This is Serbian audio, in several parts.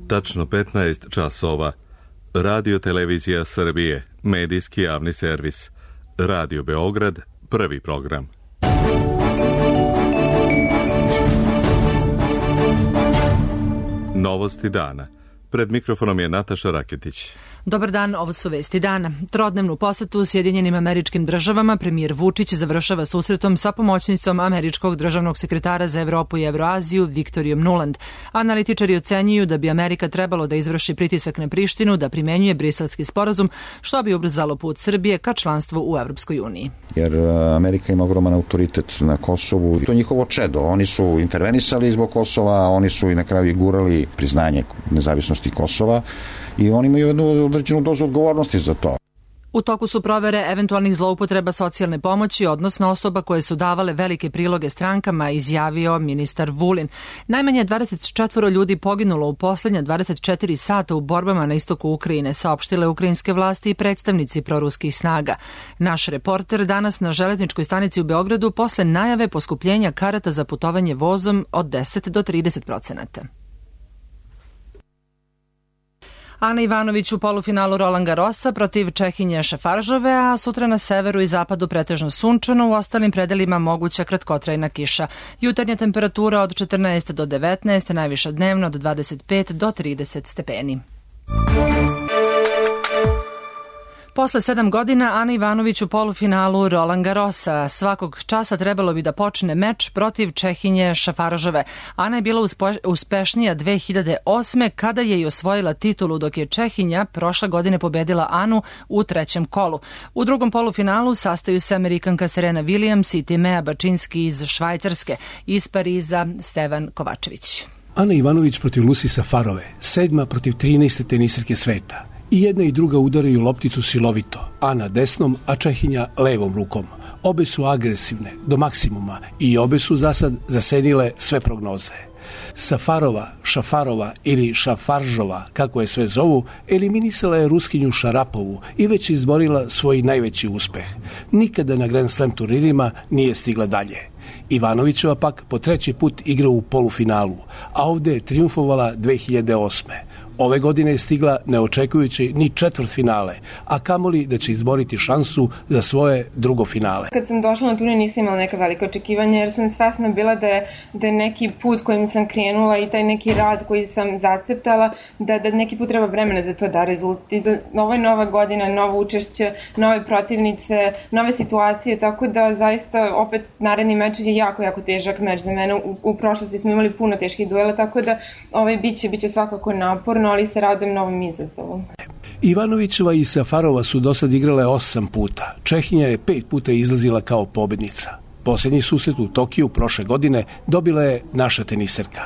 Tačno 15 časova. Radio Televizija Srbije, medijski javni servis. Radio Beograd, prvi program. Novosti dana. Pred mikrofonom je Nataša Raketić. Dobar dan, ovo su vesti dana. Trodnevnu posetu Sjedinjenim Američkim Državama premijer Vučić završava susretom sa pomoćnicom američkog državnog sekretara za Evropu i Evroaziju Viktorijom Nuland. Analitičari ocenjuju da bi Amerika trebalo da izvrši pritisak na Prištinu da primenjuje Briselski sporazum, što bi ubrzalo put Srbije ka članstvu u Evropskoj uniji. Jer Amerika ima ogroman autoritet na Kosovu. To je njihovo čedo. Oni su intervenisali zbog Kosova, oni su i na kraju gurali priznanje nezavisnosti Kosova i oni imaju jednu određenu dozu odgovornosti za to. U toku su provere eventualnih zloupotreba socijalne pomoći, odnosno osoba koje su davale velike priloge strankama, izjavio ministar Vulin. Najmanje 24 ljudi poginulo u poslednja 24 sata u borbama na istoku Ukrajine, saopštile ukrajinske vlasti i predstavnici proruskih snaga. Naš reporter danas na železničkoj stanici u Beogradu posle najave poskupljenja karata za putovanje vozom od 10 do 30%. Ana Ivanović u polufinalu Roland Garrosa protiv Čehinje Šafaržove, a sutra na severu i zapadu pretežno sunčano, u ostalim predelima moguća kratkotrajna kiša. Jutarnja temperatura od 14 do 19, najviša dnevno od 25 do 30 stepeni. Posle 7 godina Ana Ivanović u polufinalu Roland Garrosa. Svakog časa trebalo bi da počne meč protiv Čehinje Šafaržove. Ana je bila uspešnija 2008. kada je i osvojila titulu, dok je Čehinja prošle godine pobedila Anu u trećem kolu. U drugom polufinalu sastaju se Amerikanka Serena Williams i Timea Bačinski iz Švajcarske, iz Pariza Stevan Kovačević. Ana Ivanović protiv Lucy Safarove, 7. protiv 13. tenisarke sveta. I jedna i druga udaraju lopticu silovito, Ana desnom, a Čehinja levom rukom. Obe su agresivne, do maksimuma, i obe su zasad zasenile sve prognoze. Safarova, Šafarova ili Šafaržova, kako je sve zovu, eliminisala je Ruskinju Šarapovu i već izborila svoj najveći uspeh. Nikada na Grand Slam turnirima nije stigla dalje. Ivanovićeva pak po treći put igra u polufinalu, a ovde je trijumfovala 2008. Ove godine je stigla ne očekujući ni četvrtfinale, a kamoli da će izboriti šansu za svoje drugo finale. Kad sam došla na turnir nisam imala neka velika očekivanja jer sam svesna bila da je neki put kojim sam krenula i taj neki rad koji sam zacrtala, da neki put treba vremena da to da rezultat. Ovo je nova godina, novo učešće, nove protivnice, nove situacije, tako da zaista opet naredni meč je jako težak meč za mene. U prošlosti smo imali puno teških duela, tako da biće svakako naporno, ali se radujem novom izazovu. Ivanovićeva i Safarova su do sad igrale 8 puta. Čehinja je 5 puta izlazila kao pobednica. Posljednji susret u Tokiju prošle godine dobila je naša teniserka.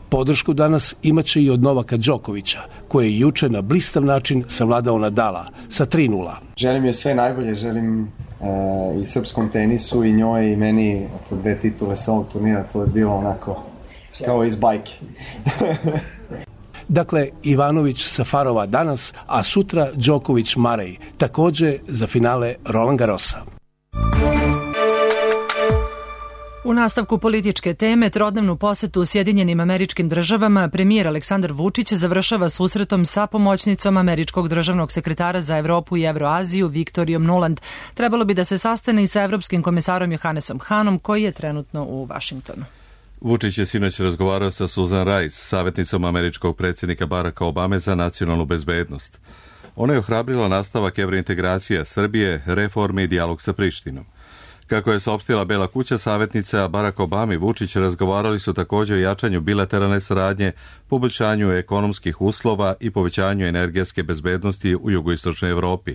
Podršku danas imaće i od Novaka Đokovića, koji je juče na blistav način savladao Nadala sa 3:0. Želim je sve najbolje, želim i srpskom tenisu i njoj i meni, 2 titule sa ovog turnira, to je bilo onako kao iz bajke. Dakle, Ivanović Safarova danas, a sutra Đoković Marej, takođe za finale Roland Garrosa. U nastavku političke teme, trodnevnu posetu u Sjedinjenim Američkim Državama premijer Aleksandar Vučić završava susretom sa pomoćnicom američkog državnog sekretara za Evropu i Evroaziju Viktorijom Nuland. Trebalo bi da se sastane i sa evropskim komisarom Johannesom Hanom, koji je trenutno u Vašingtonu. Vučić je sinoć razgovarao sa Susan Rice, savjetnicom američkog predsjednika Baracka Obame za nacionalnu bezbednost. Ona je ohrabrila nastavak evrointegracija Srbije, reforme i dijalog sa Prištinom. Kako je saopštila Bela kuća, savjetnica Barack Obama i Vučić razgovarali su također o jačanju bilateralne saradnje, poboljšanju ekonomskih uslova i povećanju energetske bezbednosti u jugoistočnoj Evropi.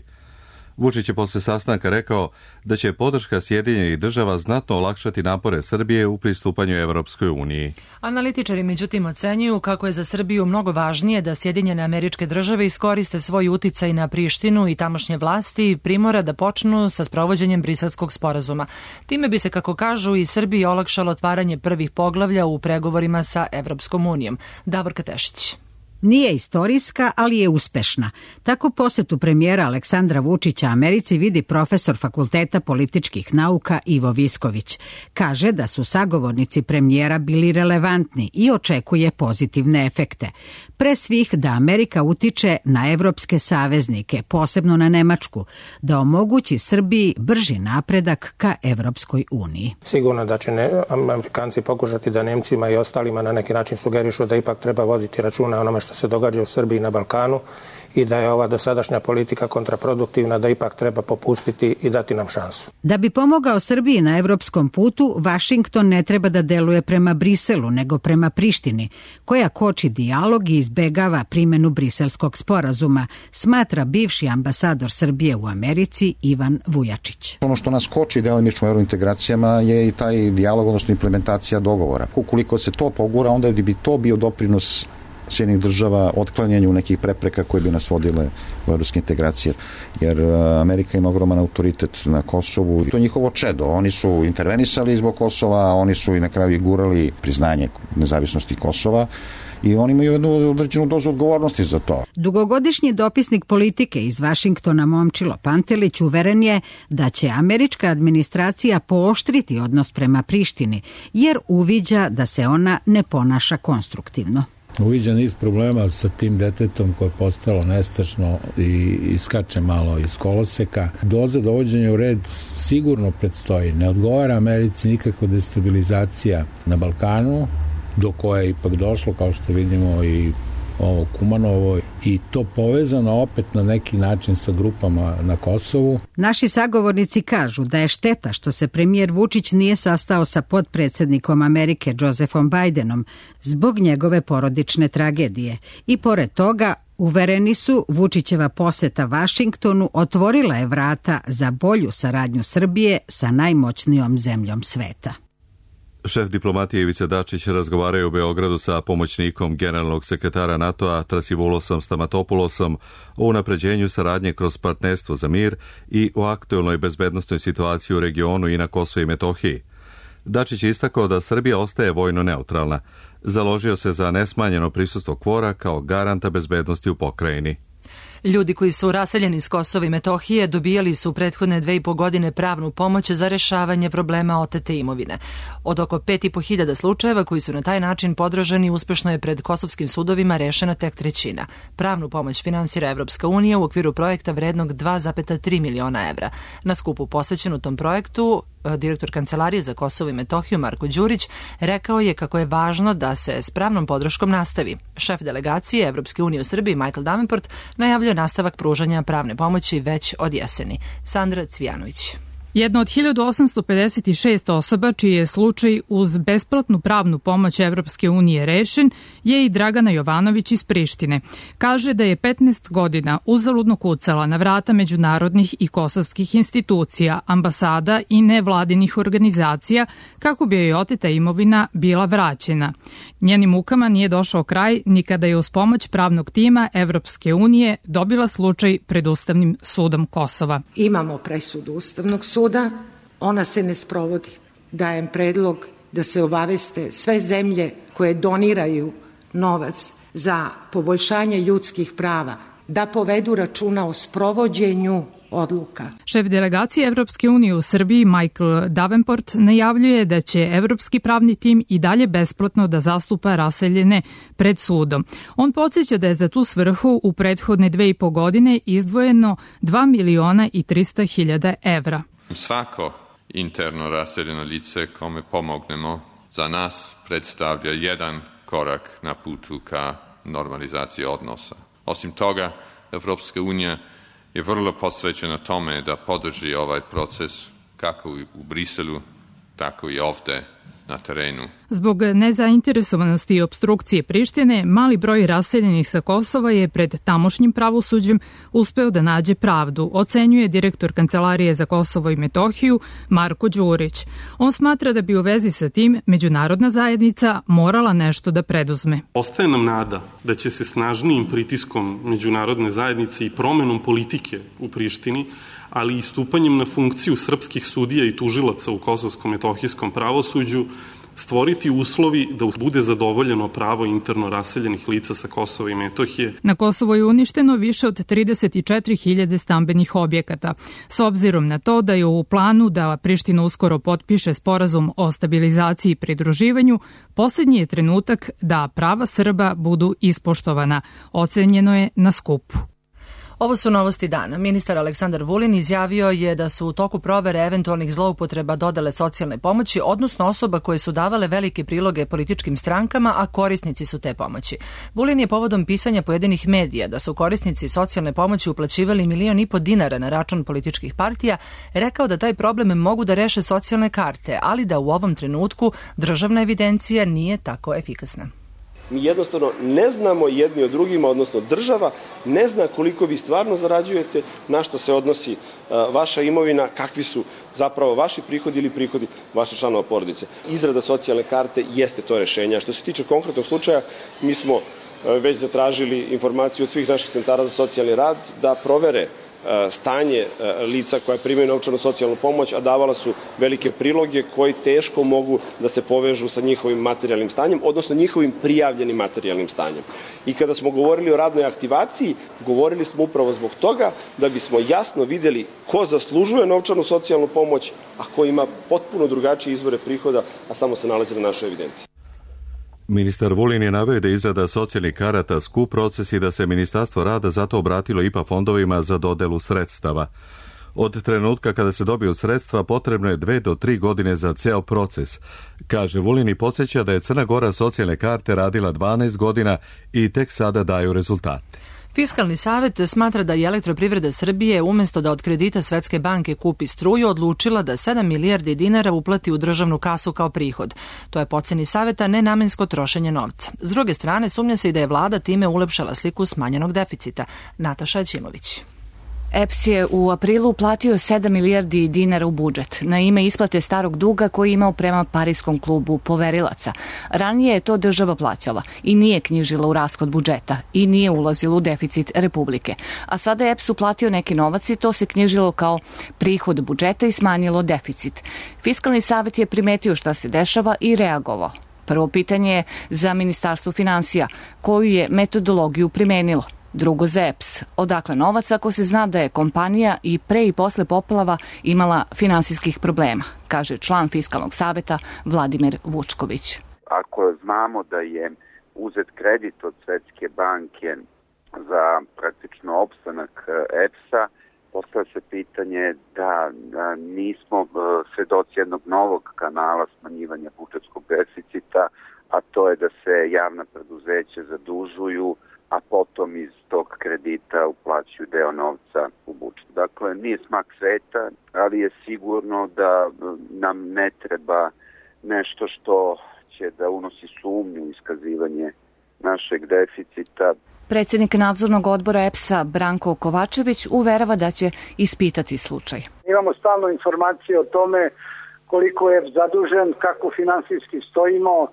Vučić je posle sastanka rekao da će podrška Sjedinjenih Država znatno olakšati napore Srbije u pristupanju Evropskoj uniji. Analitičari međutim ocenjuju kako je za Srbiju mnogo važnije da Sjedinjene Američke Države iskoriste svoj uticaj na Prištinu i tamošnje vlasti i primora da počnu sa sprovođenjem Briselskog sporazuma. Time bi se, kako kažu, i Srbiji olakšalo otvaranje prvih poglavlja u pregovorima sa Evropskom unijom. Davor Katešić. Nije istorijska, ali je uspešna. Tako posetu premijera Aleksandra Vučića Americi vidi profesor Fakulteta političkih nauka Ivo Visković. Kaže da su sagovornici premijera bili relevantni i očekuje pozitivne efekte. Pre svih da Amerika utiče na evropske saveznike, posebno na Nemačku, da omogući Srbiji brži napredak ka Evropskoj uniji. Sigurno da će Amerikanci pokušati da Nemcima i ostalima na neki način sugerišu da ipak treba voditi računa o onome što se događa u Srbiji i na Balkanu i da je ova dosadašnja politika kontraproduktivna, da ipak treba popustiti i dati nam šansu. Da bi pomogao Srbiji na evropskom putu, Vašington ne treba da deluje prema Briselu, nego prema Prištini, koja koči dijalog i izbegava primenu Briselskog sporazuma, smatra bivši ambasador Srbije u Americi Ivan Vujačić. Ono što nas koči delimično u eurointegracijama je i taj dijalog, odnosno implementacija dogovora. Ukoliko se to pogura, onda bi to bio doprinos Sjedinjenih država otklanjanju nekih prepreka koje bi nas vodile u evropske integracije. Jer Amerika ima ogroman autoritet na Kosovu. To je njihovo čedo. Oni su intervenisali zbog Kosova, oni su i na kraju gurali priznanje nezavisnosti Kosova i oni imaju jednu određenu dozu odgovornosti za to. Dugogodišnji dopisnik politike iz Vašingtona Momčilo Pantelić uveren je da će američka administracija pooštriti odnos prema Prištini, jer uviđa da se ona ne ponaša konstruktivno. Uviđa niz problema sa tim detetom koje je postalo nestašno i iskače malo iz koloseka. Doza dovođenja u red sigurno predstoji. Ne odgovara Americi nikakva destabilizacija na Balkanu, do koje je ipak došlo, kao što vidimo i ovo Kumanovo, i to povezano opet na neki način sa grupama na Kosovu. Naši sagovornici kažu da je šteta što se premijer Vučić nije sastao sa potpredsjednikom Amerike Josephom Bidenom zbog njegove porodične tragedije. I pored toga, uvereni su, Vučićeva poseta Vašingtonu otvorila je vrata za bolju saradnju Srbije sa najmoćnijom zemljom sveta. Šef diplomatije Ivica Dačić razgovaraju u Beogradu sa pomoćnikom generalnog sekretara NATO-a Trasivulosom Stamatopulosom o unapređenju saradnje kroz partnerstvo za mir i o aktuelnoj bezbednosnoj situaciji u regionu i na Kosovu i Metohiji. Dačić je istakao da Srbija ostaje vojno neutralna. Založio se za nesmanjeno prisustvo KFOR-a kao garanta bezbednosti u pokrajini. Ljudi koji su raseljeni iz Kosova i Metohije dobijali su u prethodne 2,5 godine pravnu pomoć za rešavanje problema otete imovine. Od oko 5.500 slučajeva koji su na taj način podraženi, uspešno je pred kosovskim sudovima rešena tek trećina. Pravnu pomoć finansira Evropska unija u okviru projekta vrednog 2,3 miliona evra. Na skupu posvećenu tom projektu, direktor Kancelarije za Kosovo i Metohiju Marko Đurić rekao je kako je važno da se s pravnom podrškom nastavi. Šef delegacije Evropske unije u Srbiji Michael Davenport najavljuje nastavak pružanja pravne pomoći već od jeseni. Sandra Cvijanović. Jedna od 1856 osoba čiji je slučaj uz besplatnu pravnu pomoć Evropske unije rešen je i Dragana Jovanović iz Prištine. Kaže da je 15 godina uzaludno kucala na vrata međunarodnih i kosovskih institucija, ambasada i nevladinih organizacija kako bi joj oteta imovina bila vraćena. Njenim mukama nije došao kraj ni kada je uz pomoć pravnog tima Evropske unije dobila slučaj pred Ustavnim sudom Kosova. Imamo presudu Ustavnog suda, ona se ne sprovodi. Dajem predlog da se obaveste sve zemlje koje doniraju novac za poboljšanje ljudskih prava, da povedu računa o sprovođenju odluka. Šef delegacije Evropske unije u Srbiji Michael Davenport najavljuje da će evropski pravni tim i dalje besplatno da zastupa raseljene pred sudom. On podsjeća da je za tu svrhu u prethodne 2,5 godine izdvojeno 2.300.000 evra. Svako interno raseljeno lice kome pomognemo za nas predstavlja jedan korak na putu ka normalizaciji odnosa. Osim toga, Evropska unija je vrlo posvećena tome da podrži ovaj proces kako u Briselu, tako i ovde na terenu. Zbog nezainteresovanosti i opstrukcije Prištine, mali broj raseljenih sa Kosova je pred tamošnjim pravosuđem uspeo da nađe pravdu, ocenjuje direktor Kancelarije za Kosovo i Metohiju Marko Đurić. On smatra da bi u vezi sa tim međunarodna zajednica morala nešto da preduzme. Ostaje nam nada da će se snažnijim pritiskom međunarodne zajednice i promenom politike u Prištini, ali i stupanjem na funkciju srpskih sudija i tužilaca u kosovskom-metohijskom pravosuđu stvoriti uslovi da bude zadovoljeno pravo interno raseljenih lica sa Kosova i Metohije. Na Kosovo je uništeno više od 34.000 stambenih objekata. S obzirom na to da je u planu da Priština uskoro potpiše sporazum o stabilizaciji i pridruživanju, posljednji je trenutak da prava Srba budu ispoštovana, ocenjeno je na skupu. Ovo su novosti dana. Ministar Aleksandar Vulin izjavio je da su u toku provere eventualnih zloupotreba dodele socijalne pomoći, odnosno osoba koje su davale velike priloge političkim strankama, a korisnici su te pomoći. Vulin je povodom pisanja pojedinih medija da su korisnici socijalne pomoći uplaćivali 1,5 miliona dinara na račun političkih partija, rekao da taj problem mogu da reše socijalne karte, ali da u ovom trenutku državna evidencija nije tako efikasna. Mi jednostavno ne znamo jedni od drugima, odnosno država ne zna koliko vi stvarno zarađujete, na što se odnosi vaša imovina, kakvi su zapravo vaši prihodi ili prihodi vaših članova porodice. Izrada socijalne karte jeste to rešenje. Što se tiče konkretnog slučaja, mi smo već zatražili informaciju od svih naših centara za socijalni rad da provere stanje lica koja primaju novčanu socijalnu pomoć, a davala su velike priloge koji teško mogu da se povežu sa njihovim materijalnim stanjem, odnosno njihovim prijavljenim materijalnim stanjem. I kada smo govorili o radnoj aktivaciji, govorili smo upravo zbog toga da bismo jasno videli ko zaslužuje novčanu socijalnu pomoć, a ko ima potpuno drugačije izvore prihoda, a samo se nalazi na našoj evidenciji. Ministar Vulin je naveo da izrada socijalnih karata skup proces i da se Ministarstvo rada zato obratilo IPA fondovima za dodelu sredstava. Od trenutka kada se dobiju sredstva potrebno je 2 do 3 godine za ceo proces. Kaže Vulin i podsjeća da je Crna Gora socijalne karte radila 12 godina i tek sada daju rezultate. Fiskalni savet smatra da je Elektroprivreda Srbije umesto da od kredita Svetske banke kupi struju odlučila da 7 milijardi dinara uplati u državnu kasu kao prihod. To je po oceni saveta nenamensko trošenje novca. S druge strane, sumnja se i da je vlada time ulepšala sliku smanjenog deficita. Nataša Ćimović. EPS je u aprilu uplatio 7 milijardi dinara u budžet na ime isplate starog duga koji je imao prema Pariskom klubu poverilaca. Ranije je to država plaćala i nije knjižila u rashod budžeta i nije ulazila u deficit Republike. A sada je EPS uplatio neki novac i to se knjižilo kao prihod budžeta i smanjilo deficit. Fiskalni savet je primetio šta se dešava i reagovao. Prvo pitanje je za Ministarstvo finansija, koju je metodologiju primenilo. Drugo za EPS. Odakle novac ako se zna da je kompanija i pre i posle poplava imala finansijskih problema, kaže član Fiskalnog saveta Vladimir Vučković. Ako znamo da je uzet kredit od Svetske banke za praktično opstanak EPS-a, postavlja se pitanje da nismo svedoci jednog novog kanala smanjivanja budžetskog deficita, a to je da se javna preduzeća zadužuju, a potom iz tog kredita uplaćuju deo novca u budžet. Dakle, nije smak sveta, ali je sigurno da nam ne treba nešto što će da unosi sumnju u iskazivanje našeg deficita. Predsjednik nadzornog odbora EPS-a Branko Kovačević uverava da će ispitati slučaj. Imamo stalno informacije o tome koliko je zadužen, kako finansijski stojimo,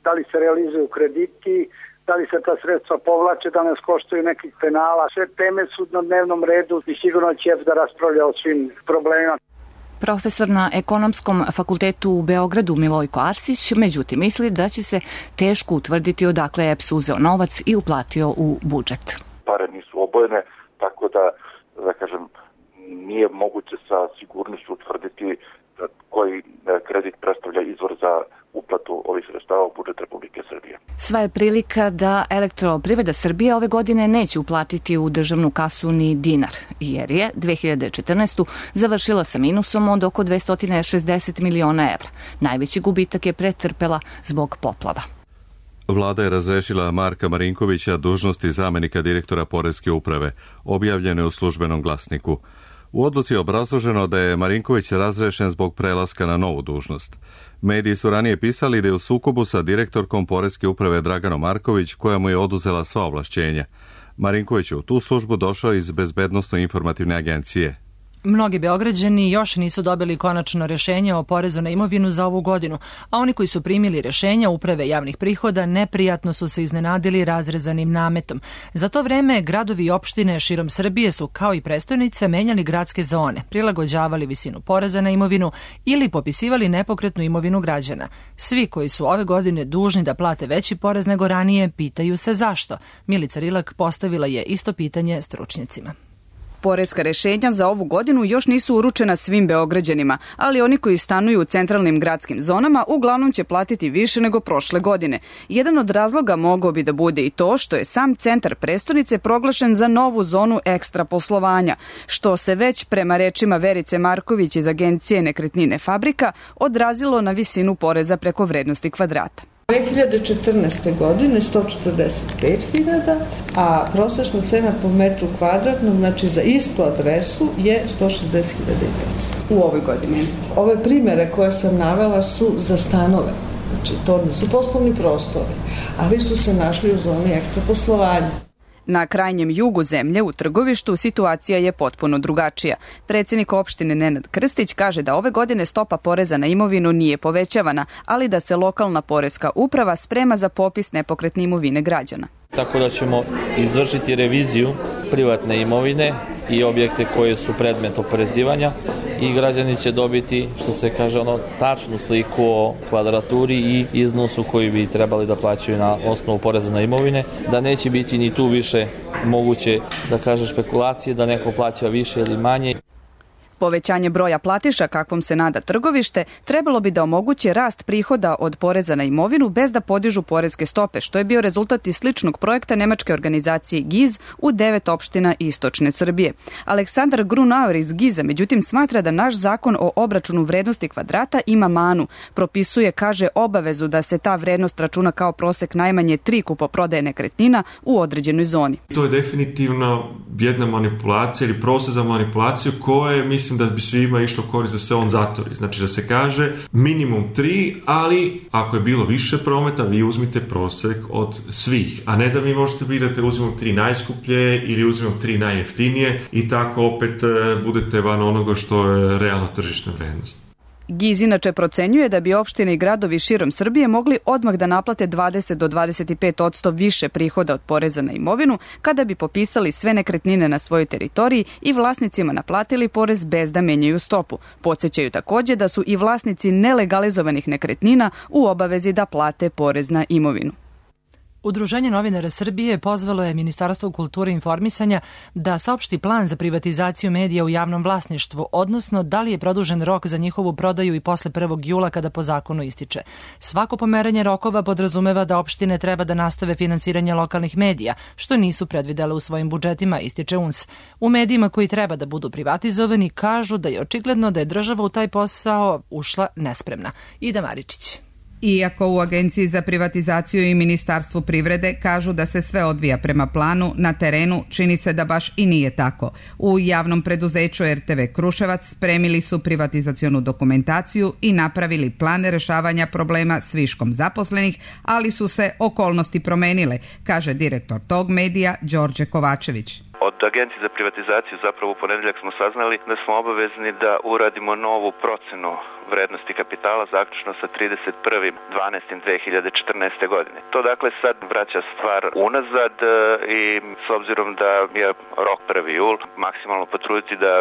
da li se realizuju krediti, da li se ta sredstva povlače, da nas koštaju nekih penala. Sve teme su na dnevnom redu i sigurno će da raspravlja o svim problemima. Profesor na Ekonomskom fakultetu u Beogradu Milojko Arsić, međutim, misli da će se teško utvrditi odakle je EPS uzeo novac i uplatio u budžet. Pare nisu obojene, tako da kažem, nije moguće sa sigurnošću utvrditi koji kredit predstavlja izvor za uplatu ovih sredstava u budžet Republike Srbije. Sva je prilika da Elektroprivreda Srbije ove godine neće uplatiti u državnu kasu ni dinar, jer je 2014. završila sa minusom od oko 260 miliona evra. Najveći gubitak je pretrpela zbog poplava. Vlada je razrešila Marka Marinkovića dužnosti zamenika direktora Poreske uprave, objavljene u Službenom glasniku. U odluci je obrazloženo da je Marinković razrešen zbog prelaska na novu dužnost. Mediji su ranije pisali da je u sukobu sa direktorkom Poreske uprave Draganom Marković, koja mu je oduzela sva ovlašćenja. Marinković je u tu službu došao iz Bezbednosno-informativne agencije. Mnogi Beograđani još nisu dobili konačno rešenje o porezu na imovinu za ovu godinu, a oni koji su primili rešenja Uprave javnih prihoda neprijatno su se iznenadili razrezanim nametom. Za to vreme gradovi i opštine širom Srbije su kao i prestonice menjali gradske zone, prilagođavali visinu poreza na imovinu ili popisivali nepokretnu imovinu građana. Svi koji su ove godine dužni da plate veći porez nego ranije pitaju se zašto. Milica Rilak postavila je isto pitanje stručnjacima. Poreska rešenja za ovu godinu još nisu uručena svim Beograđanima, ali oni koji stanuju u centralnim gradskim zonama uglavnom će platiti više nego prošle godine. Jedan od razloga mogao bi da bude i to što je sam centar prestonice proglašen za novu zonu ekstra poslovanja, što se već prema rečima Verice Marković iz agencije Nekretnine Fabrika odrazilo na visinu poreza preko vrednosti kvadrata. 2014. godine 145.000, a prosečna cena po metru kvadratnom, znači za istu adresu, je 160.500 u ovoj godini. Ove primere koje sam navela su za stanove, znači to nisu poslovni prostori, ali su se našli u zoni ekstra poslovanja. Na krajnjem jugu zemlje, u Trgovištu, situacija je potpuno drugačija. Predsjednik opštine Nenad Krstić kaže da ove godine stopa poreza na imovinu nije povećavana, ali da se lokalna poreska uprava sprema za popis nepokretne imovine građana. Tako da ćemo izvršiti reviziju privatne imovine i objekte koje su predmet oporezivanja i građani će dobiti, što se kaže, tačnu sliku o kvadraturi i iznosu koji bi trebali da plaćaju na osnovu poreza na imovine, da neće biti ni tu više moguće da kaže špekulacije da neko plaća više ili manje. Povećanje broja platiša, kakvom se nada Trgovište, trebalo bi da omogući rast prihoda od poreza na imovinu bez da podižu poreske stope, što je bio rezultat iz sličnog projekta nemačke organizacije GIZ u 9 opština istočne Srbije. Aleksandar Grunauer iz GIZ-a, međutim, smatra da naš zakon o obračunu vrednosti kvadrata ima manu. Propisuje, kaže, obavezu da se ta vrednost računa kao prosek najmanje 3 kupoprodaje nekretnina u određenoj zoni. To je definitivno jedna manipulacija ili prosek za manipulaciju koje mislim da bi svima išlo korist da se on zatvori. Znači da se kaže minimum 3, ali ako je bilo više prometa, vi uzmite prosek od svih. A ne da vi možete birati uzimam 3 najskuplje ili uzimam 3 najjeftinije i tako opet budete van onoga što je realna tržišna vrednost. GIZ inače procenjuje da bi opštine i gradovi širom Srbije mogli odmah da naplate 20 do 25% više prihoda od poreza na imovinu kada bi popisali sve nekretnine na svojoj teritoriji i vlasnicima naplatili porez bez da menjaju stopu. Podsećaju takođe da su i vlasnici nelegalizovanih nekretnina u obavezi da plate porez na imovinu. Udruženje novinara Srbije pozvalo je Ministarstvo kulture i informisanja da saopšti plan za privatizaciju medija u javnom vlasništvu, odnosno da li je produžen rok za njihovu prodaju i posle 1. jula kada po zakonu ističe. Svako pomeranje rokova podrazumeva da opštine treba da nastave finansiranje lokalnih medija, što nisu predvidele u svojim budžetima, ističe UNS. U medijima koji treba da budu privatizovani kažu da je očigledno da je država u taj posao ušla nespremna. Ida Maričić. Iako u Agenciji za privatizaciju i Ministarstvu privrede kažu da se sve odvija prema planu, na terenu čini se da baš i nije tako. U javnom preduzeću RTV Kruševac spremili su privatizacionu dokumentaciju i napravili plan rešavanja problema s viškom zaposlenih, ali su se okolnosti promenile, kaže direktor tog medija Đorđe Kovačević. Od Agencije za privatizaciju zapravo u ponedeljak smo saznali da smo obavezni da uradimo novu procenu vrednosti kapitala zaključno sa 31.12.2014. godine. To dakle sad vraća stvar unazad i s obzirom da je rok 1. jul, maksimalno potruditi da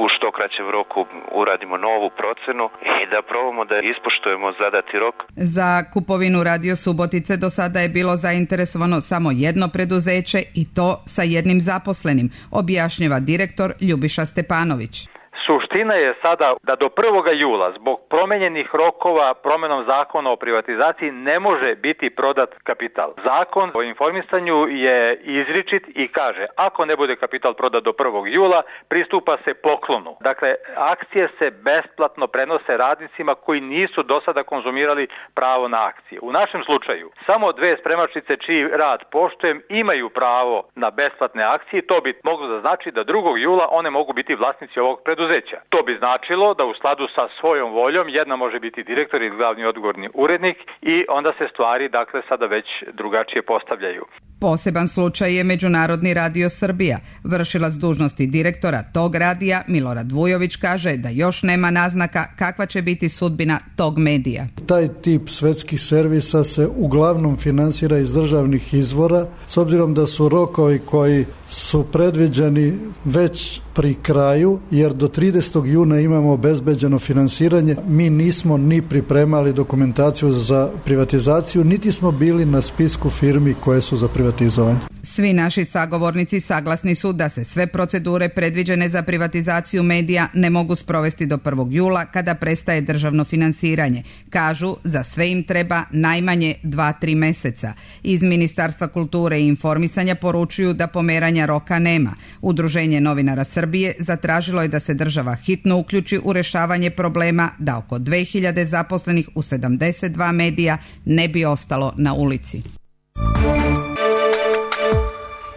u što kraćem roku uradimo novu procenu i da probamo da ispoštujemo zadati rok. Za kupovinu Radio Subotice do sada je bilo zainteresovano samo jedno preduzeće i to sa jednim zaposlenim, objašnjava direktor Ljubiša Stepanović. Suština je sada da do 1. jula zbog promenjenih rokova promenom zakona o privatizaciji ne može biti prodat kapital. Zakon o informisanju je izričit i kaže ako ne bude kapital prodat do 1. jula pristupa se poklonu. Dakle, akcije se besplatno prenose radnicima koji nisu do sada konzumirali pravo na akcije. U našem slučaju samo 2 spremačice čiji rad poštujem imaju pravo na besplatne akcije. To bi moglo da znači da 2. jula one mogu biti vlasnici ovog preduzeća. To bi značilo da u skladu sa svojom voljom jedna može biti direktor ili glavni odgovorni urednik i onda se stvari dakle sada već drugačije postavljaju. Poseban slučaj je Međunarodni radio Srbija. Vršilac dužnosti direktora tog radija, Milorad Vujović, kaže da još nema naznaka kakva će biti sudbina tog medija. Taj tip svetskih servisa se uglavnom finansira iz državnih izvora, s obzirom da su rokovi koji su predviđeni već pri kraju, jer do 30. juna imamo obezbeđeno finansiranje. Mi nismo ni pripremali dokumentaciju za privatizaciju, niti smo bili na spisku firmi koje su za privatizovanje. Svi naši sagovornici saglasni su da se sve procedure predviđene za privatizaciju medija ne mogu sprovesti do 1. jula kada prestaje državno finansiranje. Kažu, za sve im treba najmanje 2-3 meseca. Iz Ministarstva kulture i informisanja poručuju da pomeranja roka nema. Udruženje novinara Srbije zatražilo je da se država hitno uključi u rešavanje problema da oko 2000 zaposlenih u 72 medija ne bi ostalo na ulici.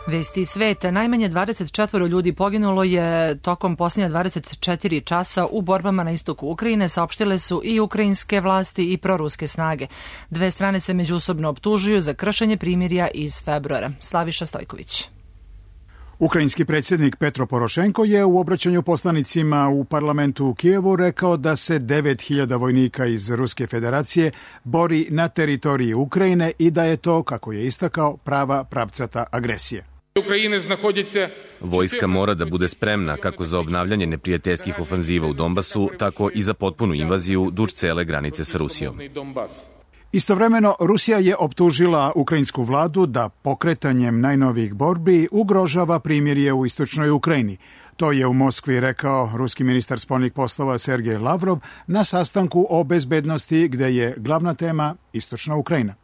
Vesti sveta. Najmanje 24 ljudi poginulo je tokom posljednja 24 časa u borbama na istoku Ukrajine, saopštile su i ukrajinske vlasti i proruske snage. Dve strane se međusobno optužuju za kršenje primirja iz februara. Slaviša Stojković. Ukrajinski predsjednik Petro Porošenko je u obraćanju poslanicima u parlamentu u Kijevu rekao da se 9000 vojnika iz Ruske federacije bori na teritoriji Ukrajine i da je to, kako je istakao, prava pravcata agresija. Vojska mora da bude spremna kako za obnavljanje neprijateljskih ofanziva u Donbasu, tako i za potpunu invaziju duž cele granice sa Rusijom. Istovremeno, Rusija je optužila ukrajinsku vladu da pokretanjem najnovijih borbi ugrožava primirje u istočnoj Ukrajini. To je u Moskvi rekao ruski ministar spoljnih poslova Sergej Lavrov na sastanku o bezbednosti gde je glavna tema istočna Ukrajina.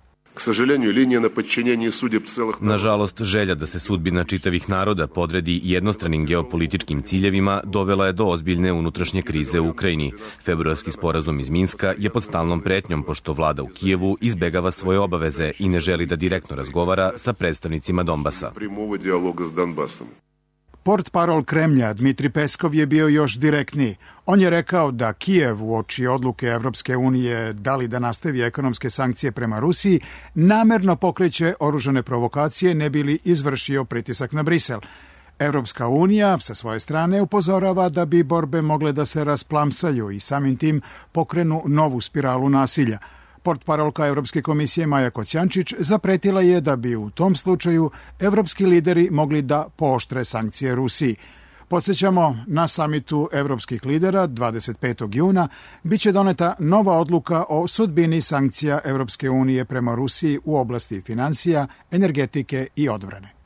Nažalost, želja da se sudbina čitavih naroda podredi jednostranim geopolitičkim ciljevima dovela je do ozbiljne unutrašnje krize u Ukrajini. Februarski sporazum iz Minska je pod stalnom pretnjom pošto vlada u Kijevu izbegava svoje obaveze i ne želi da direktno razgovara sa predstavnicima Donbasa. Portparol Kremlja Dmitri Peskov je bio još direktniji. On je rekao da Kijev uoči odluke Evropske unije da li da nastavi ekonomske sankcije prema Rusiji namerno pokreće oružane provokacije ne bi li izvršio pritisak na Brisel. Evropska unija sa svoje strane upozorava da bi borbe mogle da se rasplamsaju i samim tim pokrenu novu spiralu nasilja. Portparolka Evropske komisije Maja Kocijančić zapretila je da bi u tom slučaju evropski lideri mogli da pooštre sankcije Rusiji. Podsjećamo, na samitu evropskih lidera 25. juna biće doneta nova odluka o sudbini sankcija Evropske unije prema Rusiji u oblasti finansija, energetike i odbrane.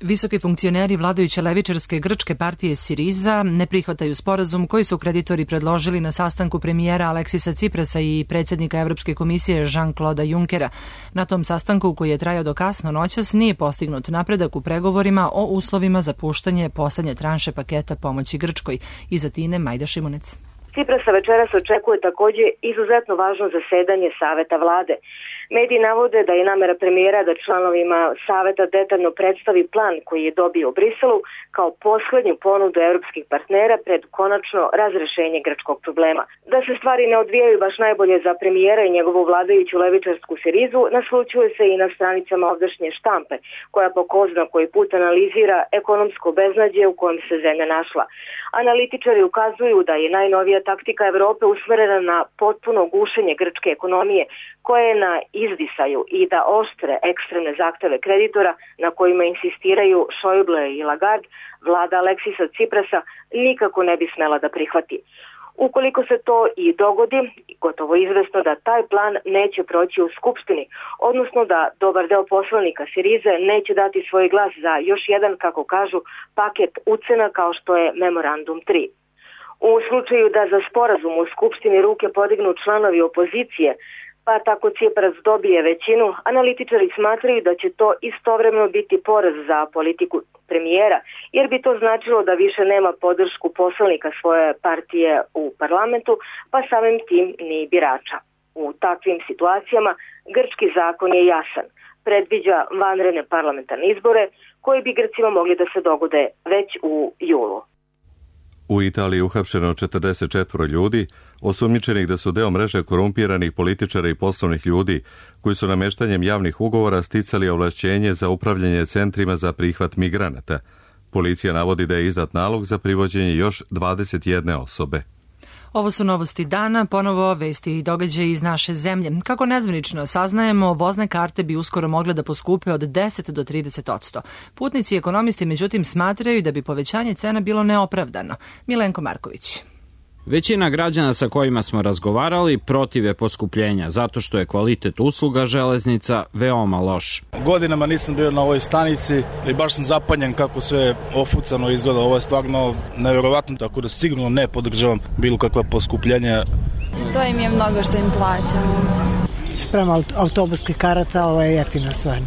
Visoki funkcioneri vladajuće levičarske grčke partije Siriza ne prihvataju sporazum koji su kreditori predložili na sastanku premijera Aleksisa Ciprasa i predsjednika Evropske komisije Jean-Claude Junckera. Na tom sastanku, koji je trajao do kasno noćas, nije postignut napredak u pregovorima o uslovima za puštanje poslednje tranše paketa pomoći Grčkoj. Iz Atine, Majda Šimunec. Ciprasa večeras očekuje također izuzetno važno zasedanje Saveta vlade. Mediji navode da je namera premijera da članovima Saveta detaljno predstavi plan koji je dobio u Briselu kao poslednju ponudu evropskih partnera pred konačno razrešenje grčkog problema. Da se stvari ne odvijaju baš najbolje za premijera i njegovu vladajuću levičarsku Sirizu naslućuje se i na stranicama ovdašnje štampe, koja po ko zna koji put analizira ekonomsko beznađe u kojem se zemlja našla. Analitičari ukazuju da je najnovija taktika Evrope usmerena na potpuno gušenje grčke ekonomije, koje je na izdisaju i da oštre ekstremne zahteve kreditora na kojima insistiraju Schäuble i Lagarde, vlada Aleksisa Ciprasa nikako ne bi smela da prihvati. Ukoliko se to i dogodi, gotovo izvesno da taj plan neće proći u Skupštini, odnosno da dobar deo poslanika Sirize neće dati svoj glas za još jedan, kako kažu, paket ucena kao što je Memorandum 3. U slučaju da za sporazum u Skupštini ruke podignu članovi opozicije, pa tako Cipras dobije većinu, analitičari smatraju da će to istovremeno biti poraz za politiku premijera, jer bi to značilo da više nema podršku poslanika svoje partije u parlamentu, pa samim tim ni birača. U takvim situacijama grčki zakon je jasan. Predviđa vanredne parlamentarne izbore koji bi Grcima mogli da se dogode već u julu. U Italiji uhapšeno 44 ljudi, osumnjičenih da su deo mreže korumpiranih političara i poslovnih ljudi, koji su nameštanjem javnih ugovora sticali ovlašćenje za upravljanje centrima za prihvat migranata. Policija navodi da je izdat nalog za privođenje još 21 osobe. Ovo su novosti dana, ponovo vesti i događaji iz naše zemlje. Kako nezvanično saznajemo, vozne karte bi uskoro mogle da poskupe od 10 do 30%. Putnici i ekonomisti međutim smatraju da bi povećanje cena bilo neopravdano. Milenko Marković. Većina građana sa kojima smo razgovarali protiv je poskupljenja, zato što je kvalitet usluga železnica veoma loš. Godinama nisam bio na ovoj stanici i baš sam zapanjen kako sve ofucano izgleda. Ovo je stvarno nevjerovatno, tako da sigurno ne podržavam bilo kakva poskupljenja. To im je mnogo što im plaćamo. Sprem autobuskih karata, ovo je jeftino stvarno.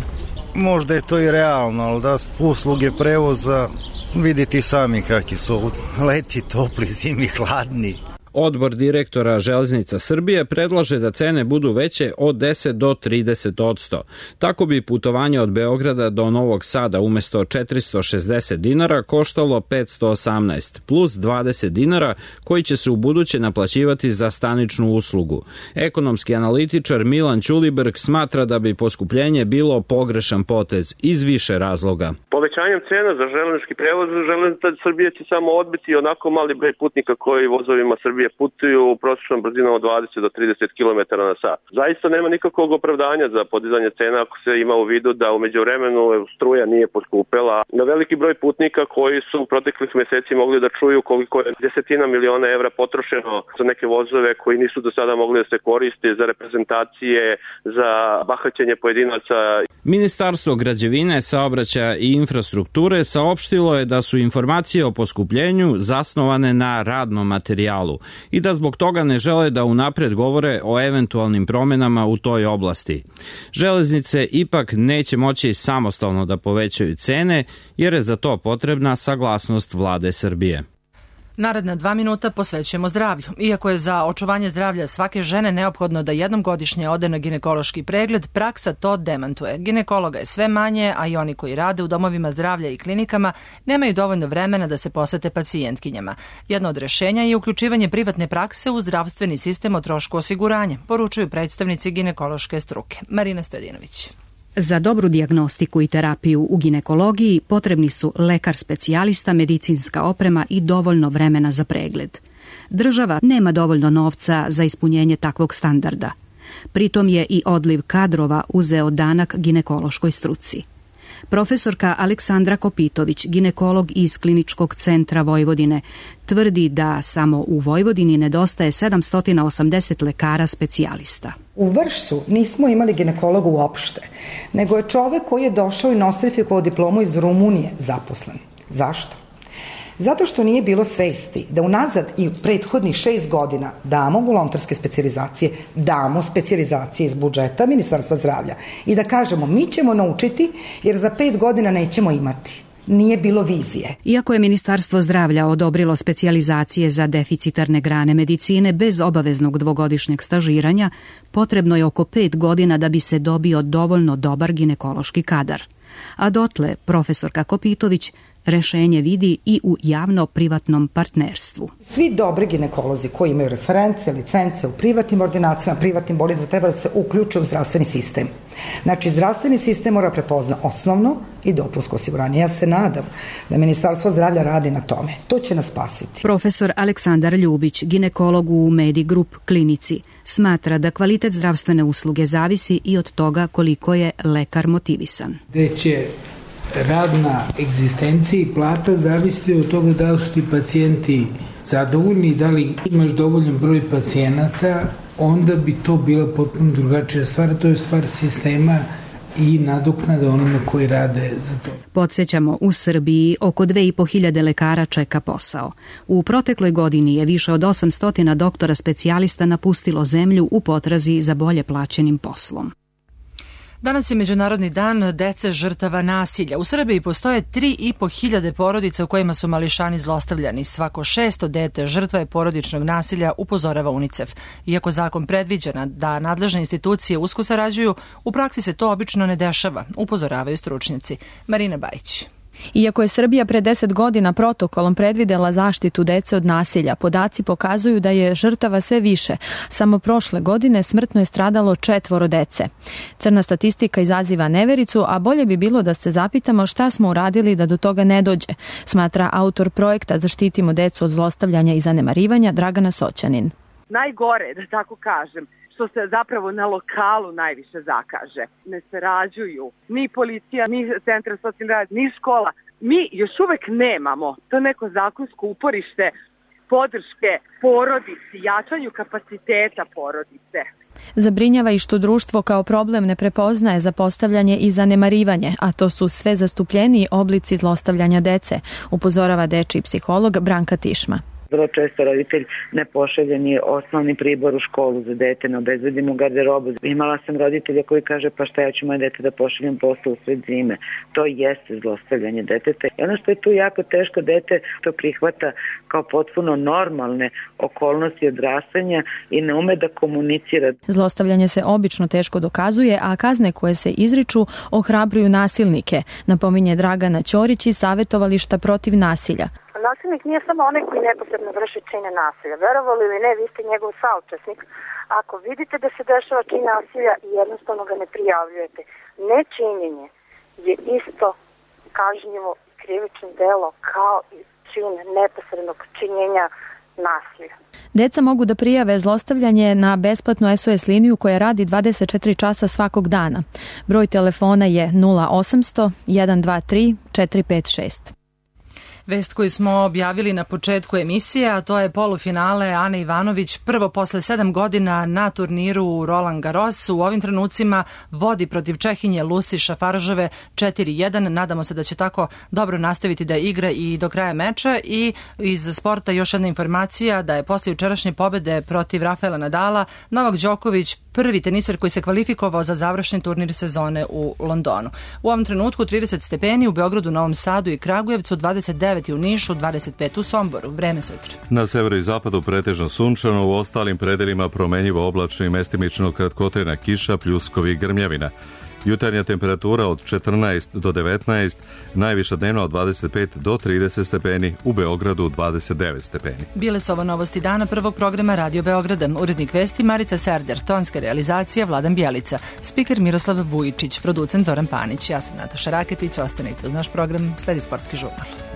Možda je to i realno, ali da usluge prevoza, vidite sami kakvi su leti topli, zimi hladni. Odbor direktora Železnica Srbije predlaže da cene budu veće od 10 do 30%. Tako bi putovanje od Beograda do Novog Sada umesto 460 dinara koštalo 518, plus 20 dinara koji će se u buduće naplaćivati za staničnu uslugu. Ekonomski analitičar Milan Ćuliberg smatra da bi poskupljenje bilo pogrešan potez iz više razloga. Povećanjem cena za železnički prevoz, Železnica Srbije će samo odbiti onako mali broj putnika koji vozovima Srbije putuju u prosječnom brzinom od 20 do 30 km na sat. Zaista nema nikakvog opravdanja za podizanje cena ako se ima u vidu da u međuvremenu struja nije poskupela. Na veliki broj putnika koji su u proteklih meseci mogli da čuju koliko je desetina miliona evra potrošeno za neke vozove koji nisu do sada mogli da se koriste za reprezentacije, za bahaćenje pojedinaca. Ministarstvo građevine, saobraćaja i infrastrukture saopštilo je da su informacije o poskupljenju zasnovane na radnom materijalu i da zbog toga ne žele da unapred govore o eventualnim promenama u toj oblasti. Železnice ipak neće moći samostalno da povećaju cene jer je za to potrebna saglasnost vlade Srbije. Naredna 2 minuta posvećujemo zdravlju. Iako je za očuvanje zdravlja svake žene neophodno da jednom godišnje ode na ginekološki pregled, praksa to demantuje. Ginekologa je sve manje, a i oni koji rade u domovima zdravlja i klinikama nemaju dovoljno vremena da se posvete pacijentkinjama. Jedno od rešenja je uključivanje privatne prakse u zdravstveni sistem o trošku osiguranja, poručuju predstavnici ginekološke struke. Marina Stojadinović. Za dobru dijagnostiku i terapiju u ginekologiji potrebni su lekar specijalista, medicinska oprema i dovoljno vremena za pregled. Država nema dovoljno novca za ispunjenje takvog standarda. Pritom je i odliv kadrova uzeo danak ginekološkoj struci. Profesorka Aleksandra Kopitović, ginekolog iz Kliničkog centra Vojvodine, tvrdi da samo u Vojvodini nedostaje 780 lekara specijalista. U Vršcu nismo imali ginekologa uopšte, nego je čovek koji je došao i nostrifikovao diplomu iz Rumunije zaposlen. Zašto? Zato što nije bilo svesti da unazad i prethodnih 6 godina damo volonterske specijalizacije, damo specijalizacije iz budžeta Ministarstva zdravlja i da kažemo mi ćemo naučiti jer za 5 godina nećemo imati. Nije bilo vizije. Iako je Ministarstvo zdravlja odobrilo specijalizacije za deficitarne grane medicine bez obaveznog 2-godišnjeg stažiranja, potrebno je oko 5 godina da bi se dobio dovoljno dobar ginekološki kadar. A dotle, profesorka Kopitović rešenje vidi i u javno-privatnom partnerstvu. Svi dobri ginekolozi koji imaju reference, licence u privatnim ordinacijama, privatnim bolnicama, treba da se uključe u zdravstveni sistem. Znači, zdravstveni sistem mora prepozna osnovno i dopunsko osiguranje. Ja se nadam da Ministarstvo zdravlja radi na tome. To će nas spasiti. Profesor Aleksandar Ljubić, ginekolog u Medigrup klinici, smatra da kvalitet zdravstvene usluge zavisi i od toga koliko je lekar motivisan. Gde će radna egzistencija i plata zavisiti od toga da li su ti pacijenti zadovoljni, da li imaš dovoljan broj pacijenata, onda bi to bila potpuno drugačija stvar. To je stvar sistema i nadoknada onome koji rade za to. Podsjećamo, u Srbiji oko 2500 lekara čeka posao. U protekloj godini je više od 800 doktora specijalista napustilo zemlju u potrazi za bolje plaćenim poslom. Danas je Međunarodni dan dece žrtava nasilja. U Srbiji postoje 3.500 porodica u kojima su mališani zlostavljani. Svako 600 dete žrtva je porodičnog nasilja, upozorava UNICEF. Iako zakon predviđa da nadležne institucije usko sarađuju, u praksi se to obično ne dešava, upozoravaju stručnjaci. Marina Bajić. Iako je Srbija pre 10 godina protokolom predvidela zaštitu dece od nasilja, podaci pokazuju da je žrtava sve više. Samo prošle godine smrtno je stradalo 4 dece. Crna statistika izaziva nevericu, a bolje bi bilo da se zapitamo šta smo uradili da do toga ne dođe, smatra autor projekta Zaštitimo decu od zlostavljanja i zanemarivanja Dragana Soćanin. Najgore, da tako kažem, što se zapravo na lokalu najviše zakaže. Ne sarađuju ni policija, ni centar socijalni rad, ni škola. Mi još uvek nemamo to neko zakonsko uporište podrške porodici, jačanju kapaciteta porodice. Zabrinjava i što društvo kao problem ne prepoznaje zapostavljanje i zanemarivanje, a to su sve zastupljeniji oblici zlostavljanja dece, upozorava dečiji psiholog Branka Tišma. Vrlo često roditelj ne pošalje ni osnovni pribor u školu za dete, ne obezbedi mu garderobu. Imala sam roditelja koji kaže pa šta ja ću moje dete da pošaljem posle u sred zime. To jeste zlostavljanje deteta. I ono što je tu jako teško, dete to prihvata kao potpuno normalne okolnosti odrastanja i ne ume da komunicira. Zlostavljanje se obično teško dokazuje, a kazne koje se izriču ohrabruju nasilnike, napominje Dragana Ćorić iz Savetovališta protiv nasilja. Nasilnik nije samo onaj koji neposredno vrši čine nasilja. Verovali ili ne, vi ste njegov saučesnik. Ako vidite da se dešava čin nasilja i jednostavno ga ne prijavljujete, nečinjenje je isto kažnjivo krivično delo kao i čin neposrednog činjenja nasilja. Deca mogu da prijave zlostavljanje na besplatnu SOS liniju koja radi 24 časa svakog dana. Broj telefona je 0800 123 456. Vest koju smo objavili na početku emisije, a to je polufinale Ane Ivanović prvo posle 7 godina na turniru Roland Garros. U ovim trenucima vodi protiv Čehinje Lucy Šafaržove 4-1. Nadamo se da će tako dobro nastaviti da igra i do kraja meča. I iz sporta još jedna informacija da je posle jučerašnje pobede protiv Rafaela Nadala Novak Đoković prvi teniser koji se kvalifikovao za završni turnir sezone u Londonu. U ovom trenutku 30 stepeni u Beogradu, Novom Sadu i Kragujevcu, 29 u Nišu, 25 u Somboru. Vreme sutra. Na severu i zapadu pretežno sunčano, u ostalim predelima promenjivo oblačno i mestimično kratkotrajna kiša, pljuskovi i grmljavina. Jutarnja temperatura od 14 do 19, najviša dnevna od 25 do 30 stepeni, u Beogradu 29 stepeni. Bile su ovo novosti dana prvog programa Radio Beograda. Urednik vesti Marica Serder, tonska realizacija Vladan Bjelica, spiker Miroslav Vujičić, producent Zoran Panić. Ja sam Nataša Raketić, ostanite uz naš program, sledi sportski žurnal.